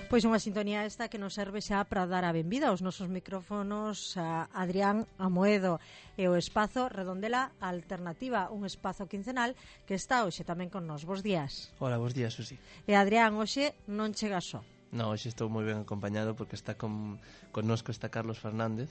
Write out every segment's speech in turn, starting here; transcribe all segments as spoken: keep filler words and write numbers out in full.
Pois unha sintonía esta que nos serve xa para dar a benvida aos nosos micrófonos a Adrián Amoedo e o espazo Redondela Alternativa, un espazo quincenal que está hoxe tamén con nos. Bos días. Hola, bos días, Susi. E Adrián, hoxe non chega só. No, hoxe estou moi ben acompañado porque está con, connosco está Carlos Fernández,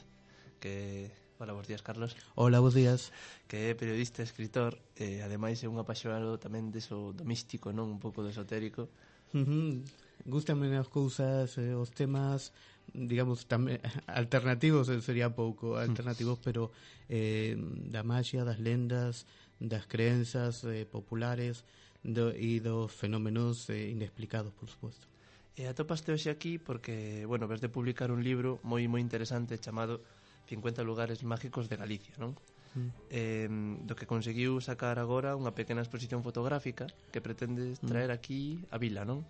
que... Hola, bos días, Carlos. Hola, bos días. Que é periodista e escritor, e ademais é un apaixonado tamén deso do místico, non? Un pouco do esotérico. Uh-huh. Gústame as cousas, eh, os temas, digamos, tamén alternativos, sería pouco alternativos, pero eh, da magia, das lendas, das creencias eh, populares do, e dos fenómenos eh, inexplicados, por suposto. E atopaste hoxe aquí porque, bueno, ves de publicar un libro moi moi interesante chamado cincuenta lugares mágicos de Galicia, non? Mm. Eh, do que conseguiu sacar agora unha pequena exposición fotográfica que pretendes traer aquí a vila, non?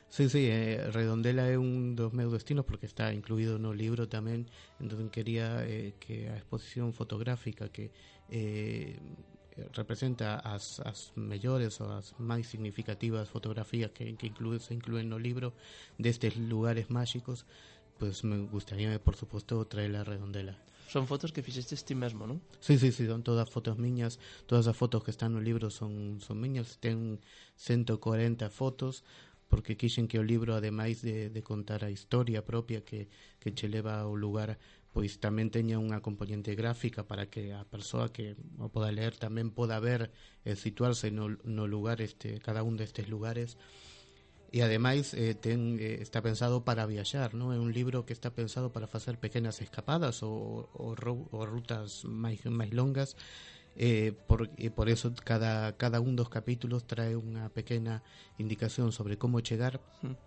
Sí, sí, eh, Redondela é un dos meus destinos porque está incluído no libro tamén, entón quería eh, que a exposición fotográfica que eh, representa as, as mellores ou as máis significativas fotografías que, que inclúe, se inclúen no libro destes lugares máxicos, pues me gustaría, por suposto, traer a Redondela. Son fotos que fixestes ti mesmo, non? Sí, sí, sí, son todas fotos miñas. Todas as fotos que están no libro son, son miñas. Ten ciento cuarenta fotos, porque quixen que o libro, ademais de, de contar a historia propia que, que che leva ao lugar, pois tamén teña unha componente gráfica para que a persoa que o poda ler tamén poda ver e situarse no, no lugar, este, cada un destes lugares. E ademais eh, ten, eh, está pensado para viaxar, non? É un libro que está pensado para facer pequenas escapadas ou, ou, ou rutas máis, máis longas, eh, por, e por eso cada, cada un dos capítulos trae unha pequena indicación sobre como chegar. Mm.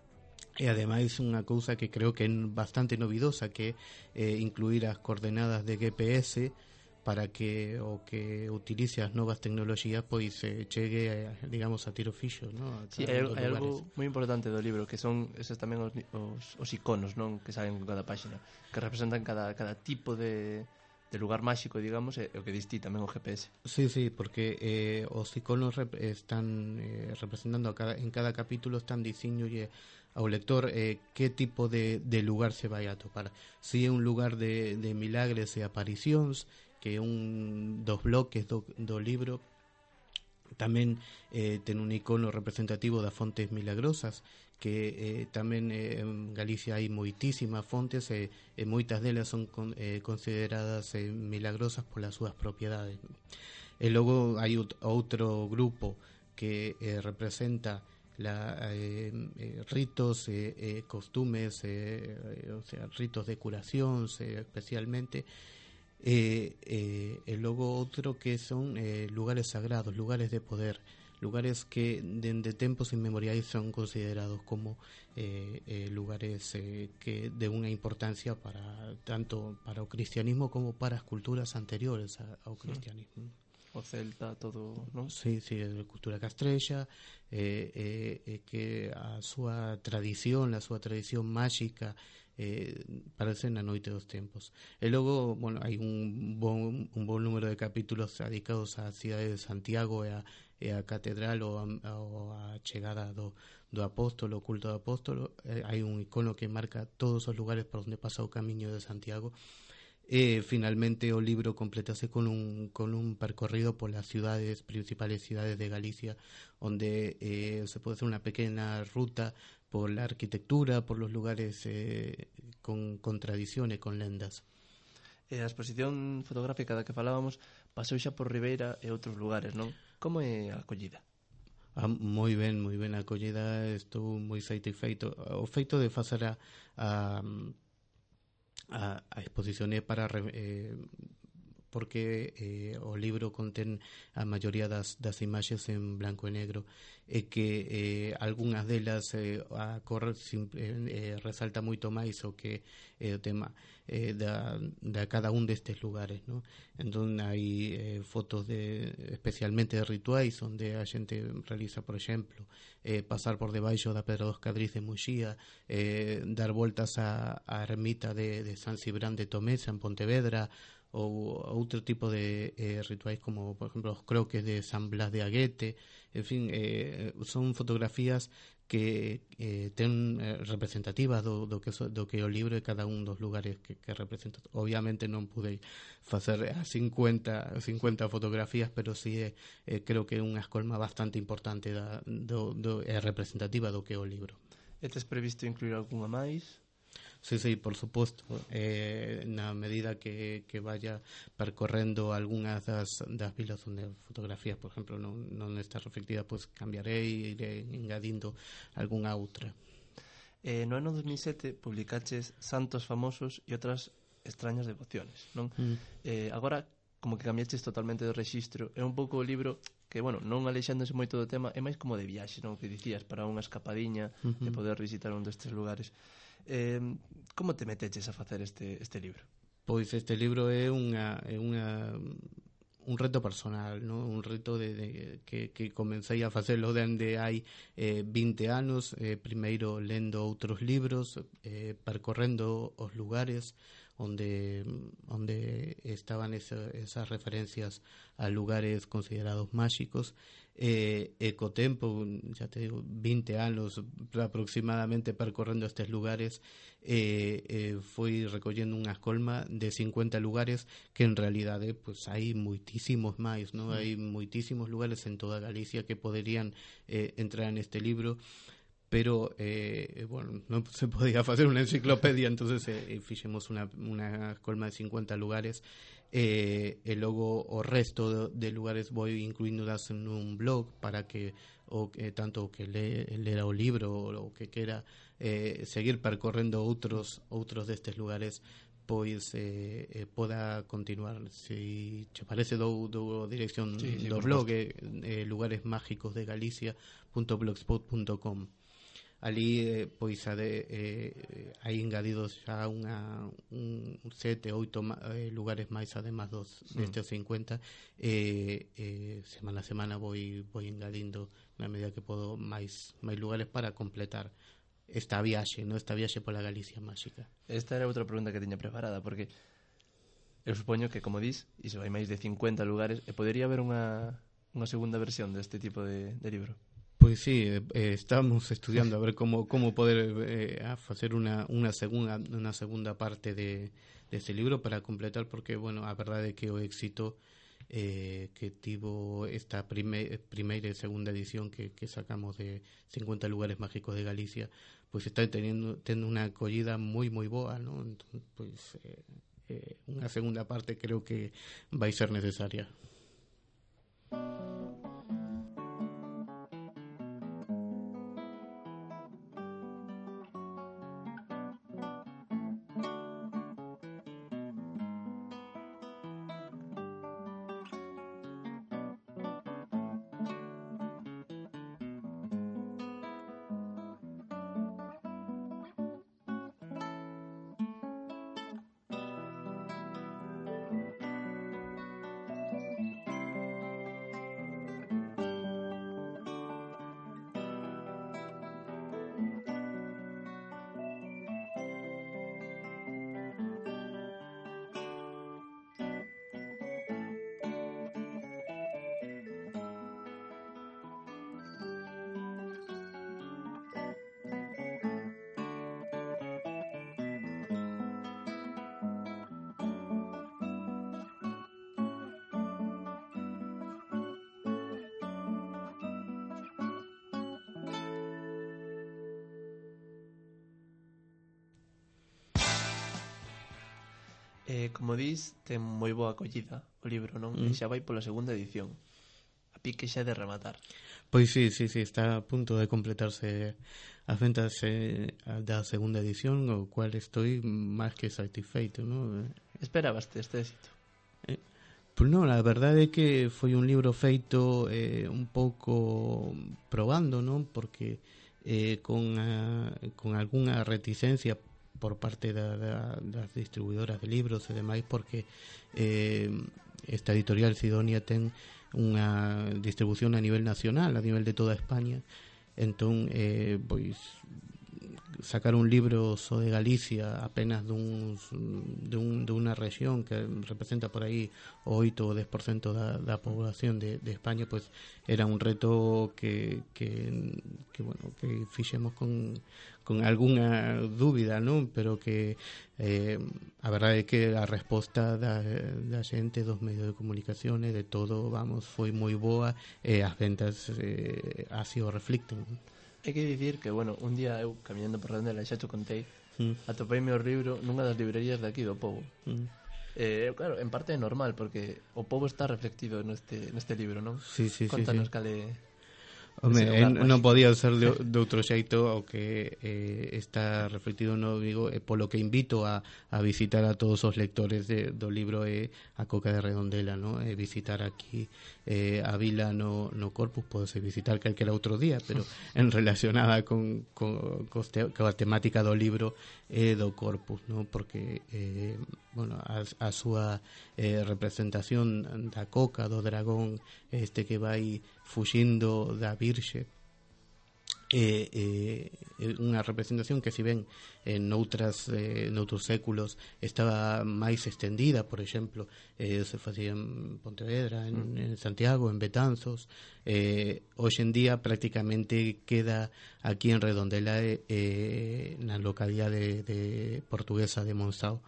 E ademais unha cousa que creo que é bastante novidosa, que é eh, incluir as coordenadas de G P S para que o que utilice as novas tecnoloxías pois eh, chegue, a, digamos, a tiro fixo, ¿no? Sí, hai, hai algo moi importante do libro, que son esos tamén os, os, os iconos, non? Que salen con cada páxina, que representan cada, cada tipo de, de lugar máxico, digamos, e o que distí tamén o G P S. Sí, sí, porque eh, os iconos rep están eh, representando a cada, en cada capítulo están dicindo ao lector eh, que tipo de, de lugar se vai a topar. Si é un lugar de, de milagres e aparicións, que é un dos bloques do, do libro. Tamén eh, ten un icono representativo das fontes milagrosas, que eh, tamén eh, en Galicia hai moitísimas fontes e, e moitas delas son con, eh, consideradas eh, milagrosas polas súas propiedades. E logo hai outro grupo que eh, representa la, eh, eh, ritos e eh, eh, costumes, eh, eh, o sea, ritos de curacións eh, especialmente. E eh, eh, logo outro que son eh, lugares sagrados, lugares de poder, lugares que dende tempos inmemoriais son considerados como eh, eh, lugares eh, que de unha importancia para tanto para o cristianismo como para as culturas anteriores ao cristianismo. O celta, todo, non? Sí, sí, a cultura castrexa, eh, eh, eh, que a súa tradición, a súa tradición máxica eh, parece na noite dos tempos. E logo, bueno, hai un bon, un bon número de capítulos dedicados á cidade de Santiago e a, e a catedral ou a, ou a chegada do, do apóstolo, o culto do apóstolo. Eh, hai un icono que marca todos os lugares por onde pasa o camiño de Santiago. E finalmente o libro completase con un, con un percorrido polas ciudades, principales cidades de Galicia, onde eh, se pode hacer unha pequena ruta por la arquitectura, por los lugares eh, con, con tradición e con lendas. E a exposición fotográfica da que falábamos pasou xa por Ribeira e outros lugares, non? Como é a acollida? Ah, moi ben, moi ben a acollida, estou moi satisfeito. O feito de facer a, a A, a exposición é para eh, porque eh, o libro contén a maioría das, das imaxes en blanco e negro e que eh, algunhas delas eh, a cor simple, eh, resalta moito máis o que é eh, o tema eh, da, da cada un destes lugares, ¿no? Entón hai eh, fotos de especialmente de rituais onde a xente realiza, por exemplo, eh, pasar por debaixo da Pedra dos Cadriz de Muxía, eh, dar voltas á, á ermita de, de San Cibrán de Tomesa en Pontevedra, ou outro tipo de eh, rituais como, por exemplo, os croques de San Blas de Aguete. En fin, eh, son fotografías que eh, ten eh, representativas do, do, que so, do que é o libro e cada un dos lugares que, que representa. Obviamente non pude facer as cincuenta fotografías, pero sí eh, eh, creo que é unha escolma bastante importante da, do, do, é representativa do que é o libro. E tes previsto incluir algunha máis? Sí, sí, por suposto. Eh, na medida que, que vaya percorrendo algunhas das, das vilas onde fotografías, por exemplo, non, non está reflectida, pois pues cambiarei e iré engadindo algunha outra. Eh, no ano dos mil sete publicaches Santos Famosos e outras extrañas devociones, non? Mm. Eh, agora, como que cambiaches totalmente de rexistro. É un pouco o libro que, bueno, non alexándose moito do tema, é máis como de viaxe, non? Que dicías, para unha escapadiña, uh-huh, de poder visitar un destes lugares. Eh, como te meteches a facer este, este libro? Pois este libro é unha, é unha un reto personal, ¿no? Un reto de, de que, que comecei a facelo dende hai eh, vinte anos, eh, primeiro lendo outros libros, eh, percorrendo os lugares onde onde estaban esa, esas referencias a lugares considerados máxicos, e, e co tempo, xa te digo, vinte anos aproximadamente percorrendo estes lugares, e, e foi recollendo unha escolma de cincuenta lugares que en realidade pues, hai moitísimos máis, ¿no? Hai moitísimos lugares en toda Galicia que poderían eh, entrar neste libro, pero eh, bueno, non se podía facer unha enciclopedia, entonces eh, fixemos unha, unha escolma de cincuenta lugares, eh, e logo o resto de, de lugares vou incluíndolas en un blog para que o que tanto o que le, lera o libro ou o que quera eh, seguir percorrendo outros outros destes lugares, pois eh, eh, poda continuar. Se che parece, dou, dou dirección sí, sí, do blog, eh, lugaresmágicos de Galicia punto blogspot punto com. Ali eh, pois ade, eh, hai engadidos xa unha un sete, oito eh, lugares máis además dos sí, destes cincuenta, e eh, eh, semana a semana vou vou engadindo na medida que podo máis máis lugares para completar esta viaxe, no esta viaxe pola Galicia máxica. Esta era outra pregunta que tiña preparada, porque eu supoño que, como dis, iso hai máis de cincuenta lugares, e podería haber unha unha segunda versión deste tipo de, de libro. Pois sí, eh, estamos estudiando a ver como como poder eh, a facer unha unha segunda unha segunda parte de deste de libro para completar, porque bueno, a verdade é que o éxito eh, que tivo esta prime, primeira e segunda edición que, que sacamos de cincuenta lugares mágicos de Galicia, pois está teniendo tendo unha acollida moi moi boa, ¿no? Entón, pois eh, eh, unha segunda parte creo que vai ser necesaria. Eh, como dis, ten moi boa acollida o libro, non? Mm. E xa vai pola segunda edición. A pique xa de rematar. Pois sí, sí, sí, está a punto de completarse as ventas eh, da segunda edición, o cual estoy máis que satisfeito, ¿no? Esperabaste este éxito? Eh, pois non, a verdade é que foi un libro feito eh, un pouco probando, non? Porque eh, con, a, con algunha reticencia por parte da, da, das distribuidoras de libros e demais, porque eh, esta editorial Sidonia ten unha distribución a nivel nacional, a nivel de toda España. Entón, eh, pois sacar un libro sobre Galicia apenas de, un, de, un, de una región que representa por aí o oito ou dez por cento da, da población de, de España, pues era un reto que, que, que bueno, que fixemos con, con algunha dúbida, non? Pero que eh, a verdade é que a resposta da, da xente, dos medios de comunicación e de todo, vamos, foi moi boa e as ventas eh, así o reflicten. Hai que dicir que, bueno, un día eu, camiñando por Redondela, xa te contei, mm. atopeime o libro nunha das librerías de aquí do Pobo. Mm. Eh, claro, en parte é normal, porque o Pobo está reflectido neste, neste libro, non? Sí, sí, Contanos sí, sí. cale... Home, eh, non podía ser de, de outro xeito o que eh, está reflectido no Vigo, e polo que invito a, a visitar a todos os lectores de, do libro é a Coca de Redondela, no? E visitar aquí eh, a vila no, no Corpus, podese visitar calquera outro día, pero en relacionada con, con, con, te, con a temática do libro e do Corpus, no? Porque eh, bueno, a, a súa eh, representación da Coca, do dragón este que vai fuxindo da Virxe, é eh, eh, unha representación que, si ben en outras eh, noutros séculos estaba máis extendida, por exemplo, eh, se facía en Pontevedra, en, en Santiago, en Betanzos, eh, hoxe en día prácticamente queda aquí en Redondela, eh, na localidade de, de portuguesa de Monzao,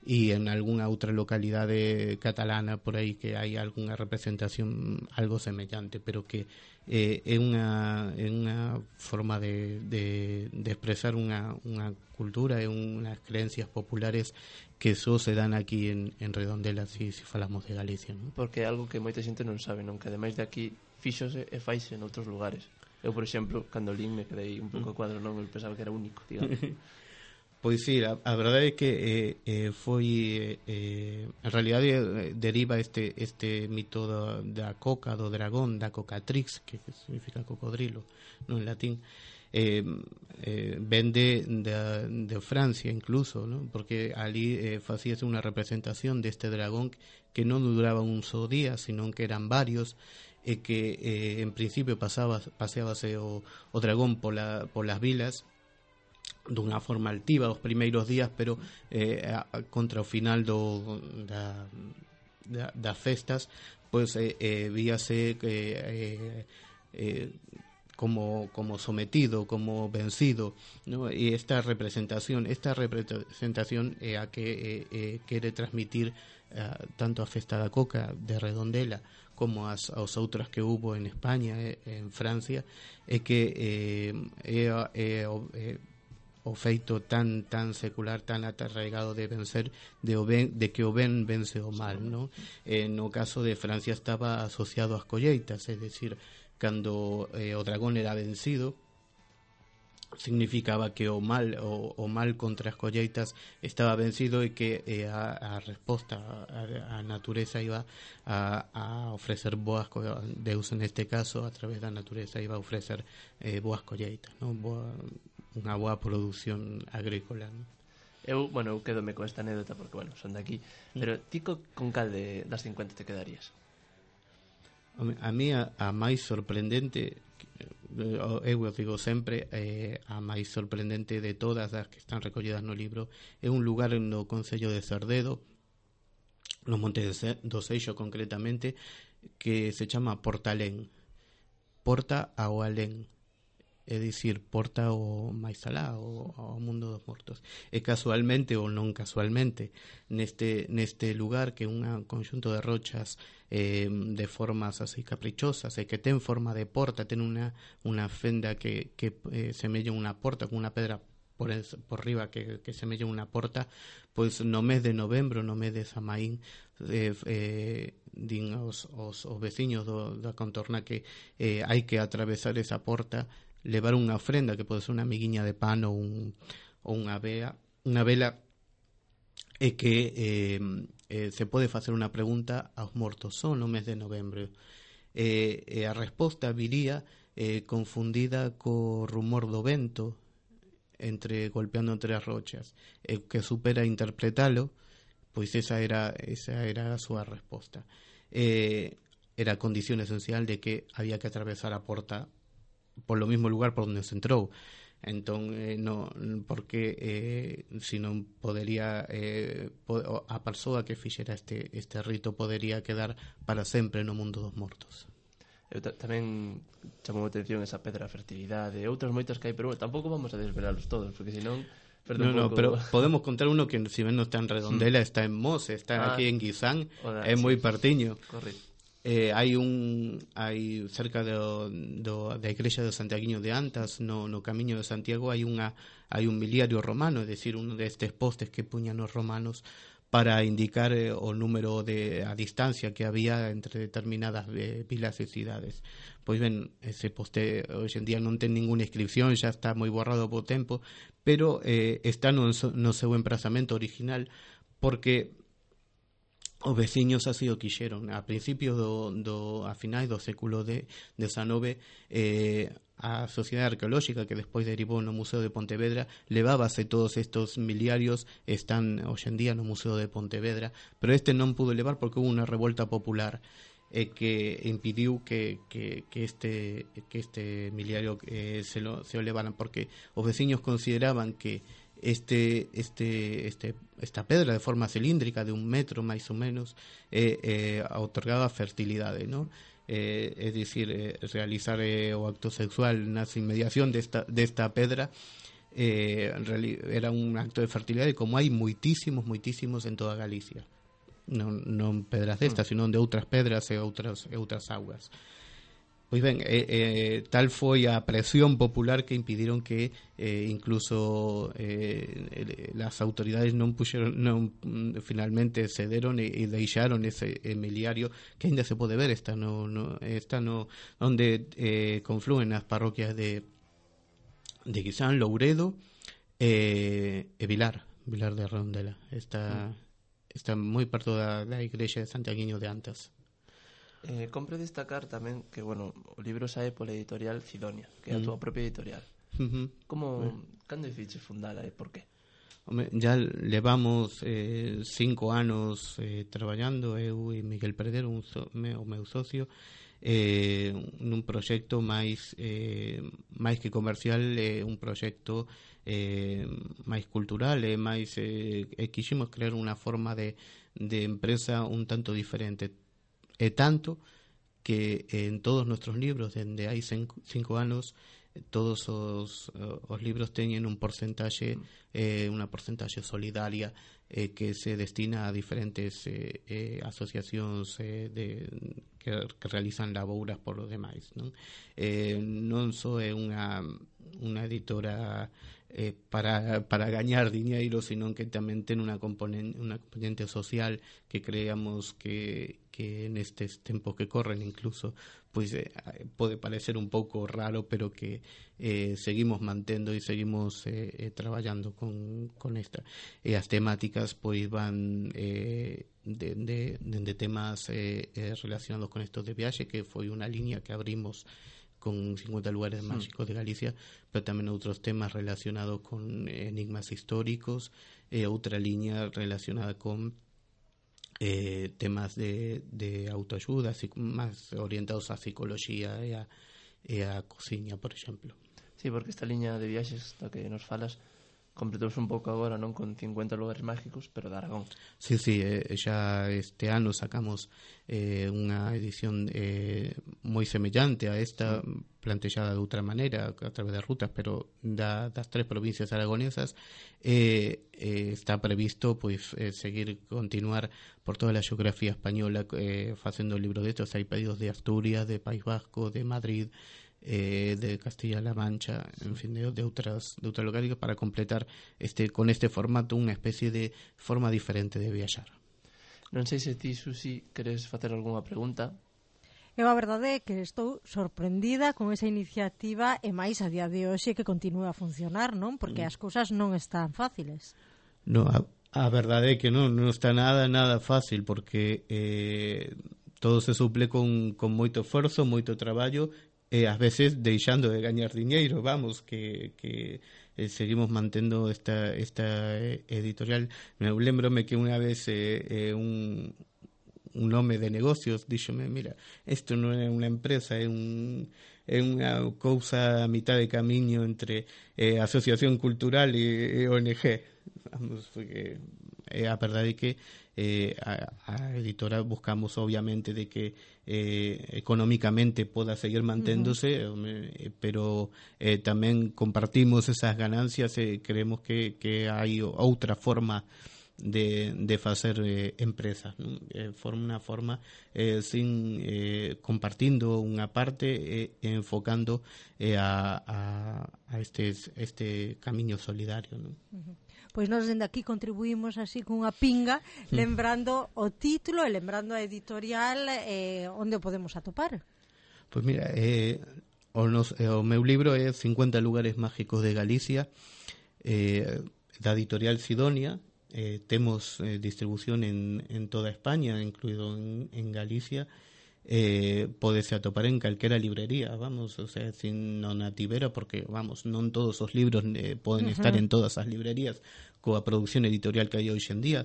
e en algunha outra localidade catalana por aí que hai algunha representación algo semellante, pero que eh, é unha é unha forma de, de, de expresar unha, unha cultura e unhas creencias populares que só se dan aquí en, en Redondela, si, si falamos de Galicia, non? Porque é algo que moita xente non sabe, non? Que ademais de aquí fíxose e faise en outros lugares. Eu, por exemplo, cando lín me quedei un pouco cuadro, non? Eu pensaba que era único, digamos. Pois sí, a, a verdade é que eh, eh, foi eh, en realidade eh, deriva este este mito da, da coca, do dragón, da cocatrix, que, que significa cocodrilo, no, en latín, eh, eh, vende de, de Francia incluso, ¿no? Porque ali eh, facíase unha representación deste dragón que non duraba un só día, sino que eran varios, e que eh, en principio pasaba, paseábase o, o dragón pola, polas vilas dunha forma altiva os primeiros días, pero eh, a, a, contra o final do, da, da, das festas, pois eh, eh, víase que eh, eh, como, como sometido, como vencido, ¿no? E esta representación esta representación é a que eh, eh, quere transmitir eh, tanto a festa da Coca de Redondela como as, as outras que hubo en España e en Francia, é que eh, é, é, é o feito tan tan secular, tan atarraigado de vencer, de, o ben, de que o ben vence o mal, ¿no? Eh, no caso de Francia estaba asociado ás colleitas, é dicir, cando eh, o dragón era vencido, significaba que o mal o, o mal contra as colleitas estaba vencido e que eh, a, a resposta a, a natureza iba a, a ofrecer boas co- Deus neste caso a través da natureza iba a ofrecer eh, boas colleitas, ¿no? Boa, unha boa produción agrícola, ¿no? Eu, bueno, eu quedome con esta anécdota porque, bueno, son de aquí, pero ti co, con cal de, das cincuenta te quedarías? A mí a, a máis sorprendente, eu o digo sempre, eh, a máis sorprendente de todas as que están recollidas no libro é un lugar no concello de Cerdedo, no Monte do Seixo concretamente, que se chama Portalén, Porta ao Alén, é dicir, porta ao máis alá, ao, ao mundo dos mortos. E casualmente ou non casualmente, neste neste lugar que é un conxunto de rochas eh, de formas así caprichosas e que ten forma de porta, ten unha unha fenda que, que eh, semella unha porta con unha pedra por, el, por riba que, que semella unha porta, pois no mes de novembro, no mes de Samaín, eh, eh, din os, os, os veciños do, da contorna que eh, hai que atravesar esa porta, levar unha ofrenda que pode ser unha miguiña de pan ou, un, ou unha vea, unha vela, e que eh, eh, se pode facer unha pregunta aos mortos só no mes de novembro. Eh, e a resposta viría eh, confundida co rumor do vento entre golpeando entre as rochas, e que supera interpretalo, pois esa era esa era a súa resposta. Eh, era a condición esencial de que había que atravesar a porta por lo mismo lugar por donde se entrou. Entón, eh, no, porque eh, si non podería eh, po, a persoa que fixera este, este rito podería quedar para sempre no mundo dos mortos. Eu tamén chamou a atención esa pedra fertilidade e outras moitas que hai, pero bueno, tampouco vamos a desvelalos todos, porque senón perde no, un no, pouco... pero podemos contar uno que si ben non está en Redondela, está en Mos, está ah, aquí en Guisán, é sí, moi partiño. Correcto. Eh, hai un hai cerca do, do, da igrexa de Santiaguiño de Antas, no, no camiño de Santiago hai unha hai un miliario romano, é dicir, un destes postes que puñan os romanos para indicar eh, o número de a distancia que había entre determinadas eh, vilas e cidades. Pois ben, ese poste hoxe en día non ten ninguna inscripción, xa está moi borrado po tempo, pero eh, está no, no seu emprazamento original, porque os veciños así o quixeron. A principios do, do a finais do século de dezenove, eh, a Sociedade Arqueolóxica, que despois derivou no Museo de Pontevedra, levábase todos estos miliarios, están hoxe en día no Museo de Pontevedra, pero este non pudo levar porque hubo unha revolta popular eh, que impidiu que, que, que este que este miliario eh, se, lo, se o levaran, porque os veciños consideraban que este este este esta pedra de forma cilíndrica de un metro máis ou menos eh, eh, otorgaba fertilidade, ¿no? Eh, é dicir, eh, realizar eh, o acto sexual nas inmediación desta, desta pedra eh, era un acto de fertilidade, como hai moitísimos, moitísimos en toda Galicia, non, non pedras destas, sino de outras pedras e outras, e outras augas. Pois ben, eh, eh, tal foi a presión popular que impediron que eh, incluso eh, las autoridades non puxeron, non finalmente cederon e, e deixaron ese miliario que ainda se pode ver, está no, no, está no onde eh, confluen as parroquias de de Guisán, Louredo e, e Vilar, Vilar de Redondela. Está, está moi perto da, da igrexa de Santiaguiño de Antas. Eh, compre destacar tamén que, bueno, o libro sae pola editorial Cidonia, que é a túa propia editorial. Uh-huh. Como, bueno. Cando decides fundala e por qué? Home, ya levamos eh, cinco anos eh, traballando, eu e Miguel Perdero, un so, me, o meu socio, eh, nun proxecto máis eh, máis que comercial, eh, un proxecto eh, máis cultural, e máis eh, e quiximos crear unha forma de, de empresa un tanto diferente. E tanto que en todos nuestros libros, dende hai cinco anos, todos os, os libros teñen un porcentaxe, eh, unha porcentaxe solidaria eh, que se destina a diferentes eh, eh, asociacións eh, de, que, que realizan labouras por os demais, non? Eh, non só é unha, unha editora eh, para, para gañar diñeiro, sino que tamén ten unha componente, unha componente social que creamos que, que nestes tempos que corren incluso pois eh, pode parecer un pouco raro, pero que eh, seguimos mantendo e seguimos eh, eh, traballando con, con esta. E as temáticas pois van eh, de, de, de temas eh, eh, relacionados con estos de viaxe, que foi unha liña que abrimos con cincuenta lugares máxicos de Galicia, pero tamén outros temas relacionados con enigmas históricos, e outra liña relacionada con eh, temas de, de autoayuda, máis orientados á psicología e a, e a cociña, por exemplo. Sí, porque esta liña de viaxes da que nos falas completouse un pouco agora, non, con cincuenta lugares mágicos, pero de Aragón. Sí, sí, eh, xa este ano sacamos eh, unha edición eh, moi semellante a esta, sí, plantexada de outra maneira a través de rutas, pero da, das tres provincias aragonesas. eh, eh, está previsto pois eh, seguir, continuar por toda a xeografía española eh, facendo libros de estos. Hai pedidos de Asturias, de País Vasco, de Madrid, Eh, de Castilla-La Mancha, en fin, de, de outras de outras localidades, para completar este con este formato unha especie de forma diferente de viaxar. Non sei se ti, Susi, queres facer algunha pregunta. Eu a verdade é que estou sorprendida con esa iniciativa, e máis a día de hoxe que continúa a funcionar, non? Porque mm. as cousas non están fáciles. No, a, a verdade é que non, non está nada, nada fácil, porque eh, todo se suple con, con moito esforzo, moito traballo, e ás veces deixando de gañar diñeiro, vamos, que, que eh, seguimos mantendo esta, esta editorial. Me lembrome que unha vez eh, eh, un, un home de negocios díxome, mira, isto non é unha empresa, é un, é unha cousa a mitad de camiño entre eh, asociación cultural e, e O N G. Vamos, porque eh, a verdade é que eh, a, a editora buscamos obviamente de que eh, económicamente poda seguir manténdose, uh-huh. eh, pero eh, tamén compartimos esas ganancias e eh, creemos que, que hai outra forma de, de facer eh, empresas, ¿no? Eh, forma unha forma eh, sin eh, compartindo unha parte e eh, enfocando eh, a, a, a este, este camiño solidario, ¿no? Uh-huh. Pois nós dende aquí contribuímos así cunha pinga, lembrando o título e lembrando a editorial eh, onde o podemos atopar. Pois mira, eh, o, nos, eh, o meu libro é cincuenta lugares mágicos de Galicia, eh, da editorial Sidonia. Eh, temos eh, distribución en, en toda España, incluído en, en Galicia. Eh, podese atopar en calquera librería, vamos, o sea, sin non a tibera, porque, vamos, non todos os libros eh, poden uh-huh. estar en todas as librerías coa produción editorial que hai hoxe en día,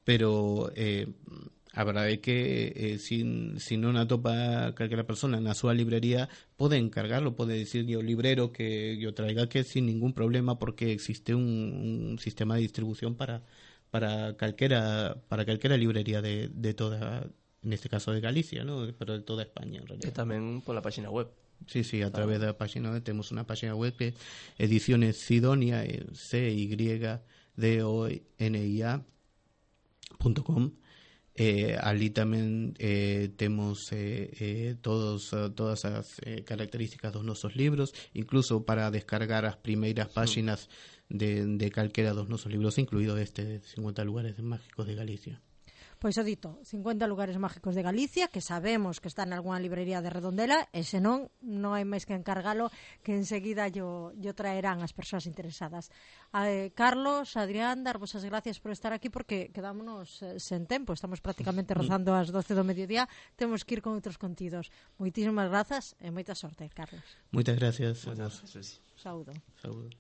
pero eh, a verdade é que eh, sin, si non atopa calquera persona na súa librería, pode encargarlo, pode dicirle ao librero que o traiga, que sin ningún problema, porque existe un, un sistema de distribución para para calquera para calquera librería de, de toda, en este caso de Galicia, ¿no? Pero de toda España en realidad. E tamén pola página web. Sí, sí, a través da página web temos unha página web que Ediciones Sidonia, C Y D O N I A punto com. Eh, ali tamén eh, temos eh, eh, todos, uh, todas as eh, características dos nosos libros, incluso para descargar as primeiras páxinas de, de calquera dos nosos libros, incluído este cincuenta lugares mágicos de Galicia. Pois o dito, cincuenta lugares mágicos de Galicia, que sabemos que está en algunha librería de Redondela, e senón, non hai máis que encargalo, que enseguida yo, yo traerán as persoas interesadas. Eh, Carlos, Adrián, darvos as gracias por estar aquí, porque quedámonos eh, sen tempo, estamos prácticamente rozando as doce do mediodía, temos que ir con outros contidos. Moitísimas grazas e moita sorte, Carlos. Moitas gracias. Moitas gracias. Saúdo. Saúdo.